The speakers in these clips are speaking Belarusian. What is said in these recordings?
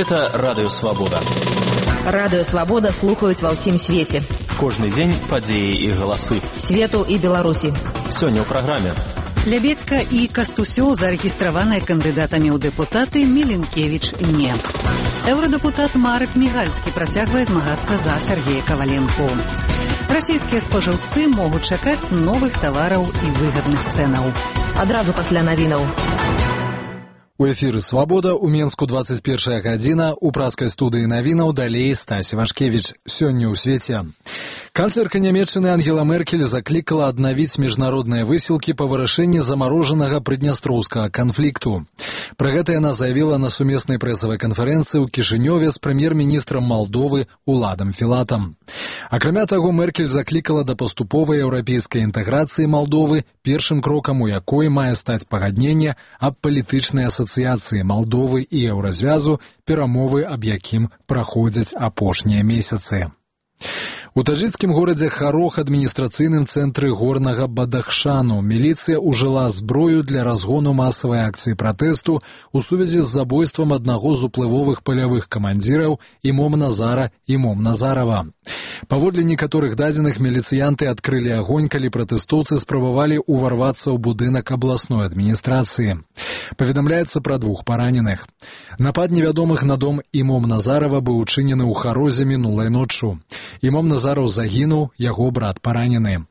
Гэта Радыё Свабода. Радыё Свабода слухаюць ва ўсім свеце. Кожны дзень падзеі і галасы. Свету і Беларусі. Сёння ў праграме. Лябедзька і Кастусёў зарэгістраваныя кандыдатамі ў дэпутаты, Міленкевіч не. Еўрадэпутат Марек Мігальскі працягвае змагацца за Сергея Каваленку. Расійскія спажыўцы могуць чакаць новых тавараў і выгадных цэнаў. Адразу пасля навінаў. У эфіры «Свабода» у Менску 21 гадзіна, у праскай студыі навінаў далей Стасі Вашкевіч. Сёння ў свеце. Канцлерка Нямецчыны Ангела Меркель заклікала аднавіць міжнародныя высілкі па вырашэнні замарожанага прыднястроўскага канфлікту. Пра гэта яна заявіла на сумеснай прэсавай канферэнцыі ў Кішынёве з прэм'ер-міністрам Малдовы Уладам Філатам. Акрамя таго, Меркель заклікала да паступовай еўрапейскай інтэграцыі Малдовы, першым крокам у якой мае стаць пагадненне аб палітычнай асацыяцыі Малдовы і Еўразвязу, перамовы аб якім праходзяць апошнія месяцы. У таджыкскім горадзе Харох, адміністрацыйным цэнтры горнага Бадахшану, міліцыя ўжыла зброю для разгону масавай акцыі пратэсту ў сувязі з забойствам аднаго з уплывовых палявых камандзіраў Імом Назара Імом Назарава. Паводле некаторых дадзеных, міліцыянты адкрылі агонь, калі пратэстоўцы спрабавалі ўварвацца ў будынак абласной адміністрацыі. Паведамляецца пра 2 параненых. Напад невядомых на дом Імом Назарава быў учынены ў Харозе мінулай ноччу. Імом Назараў загінуў, яго брат паранены.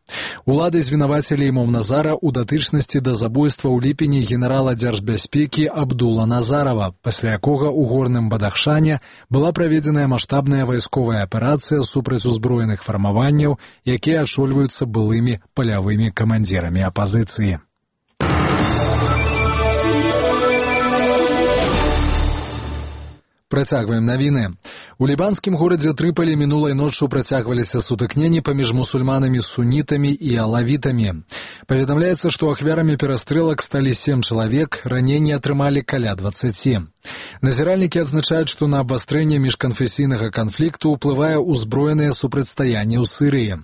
Улады звінавацілі Імом Назара ў датычнасці да забойства ў ліпені генерала дзяржбяспекі Абдула Назарава, пасля якога ў горным Бадахшане была праведзеная маштабная вайсковая аперацыя супраць узброеных фармаванняў, якія ачольваюцца былымі палявымі камандзірамі апазіцыі. Працягваем навіны. У лібанскім горадзе Трыполі мінулай ноччу працягваліся сутыкненні паміж мусульманамі сунітамі і алавітамі. Паведамляецца, што ахвярамі перастрэлак сталі 7 чалавек, раненні атрымалі каля 20. Назіральнікі адзначаюць, што на абвастрэнне міжканфесійнага канфлікту ўплывае ўзброенае супрацьстаянне ў Сірыі.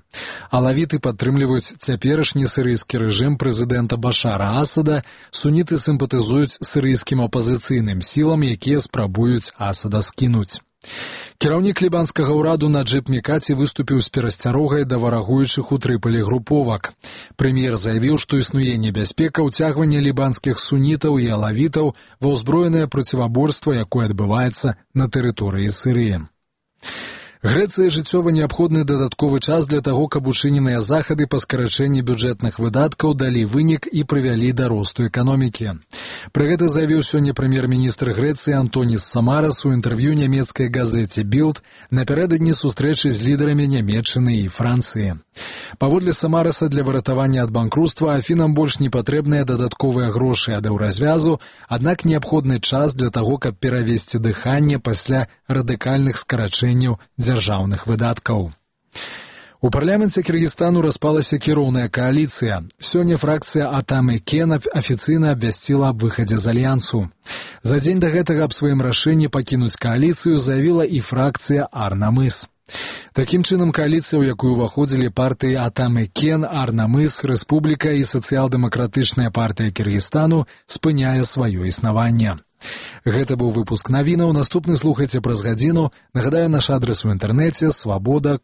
Алавіты падтрымліваюць цяперашні сірыйскі рэжым прэзідэнта Башара Асада, суніты сімпатызуюць сірыйскім апазіцыйным сілам, якія спрабуюць Асада скінуць. Кіраўнік лібанскага ўраду Наджыб Мікаці выступіў з перасцярогай да варагуючых у Трыполі груповак. Прэм'ер заявіў, што існуе небяспека ўцягвання лібанскіх сунітаў і алавітаў ва ўзброенае проціваборства, якое адбываецца на тэрыторыі Сірыі. Грэцыі жыццёва неабходны дадатковы час для таго, каб учыненыя захады па скарачэнні бюджэтных выдаткаў далі вынік і прывялі да росту эканомікі. Пра гэта заявіў сёння прэм'ер-міністр Грэцыі Антоніс Самарас у інтэрв'ю нямецкай газеце «Білд» напярэдадні сустрэчы з лідарамі Нямецчыны і Францыі. Паводле Самараса, для выратавання ад банкруцтва Афінам больш не патрэбныя дадатковыя грошы ад еўразвязу, аднак неабходны час для таго, каб перавесці дыханне пасля радыкальных скарачэнняў дзяржаўных выдаткаў. У парламенце Кыргызстану распалася кіроўная кааліцыя. Сёння фракцыя Атам Экен афіцыйна абвясціла аб выхадзе з альянсу. За дзень да гэтага аб сваім рашэнні пакінуць кааліцыю заявіла і фракцыя Арнамыс. Такім чынам, кааліцыя, у якую ўваходзілі партыі Атам Экен, Арнамыс, Рэспубліка і сацыял-дэмакратычная партыя Кыргызстану спыняе сваё існаванне. Гэта быў выпуск навінаў. Наступны слухайце праз гадзіну. Нагадаю, наш адрас у інтэрнэце свабода.орг.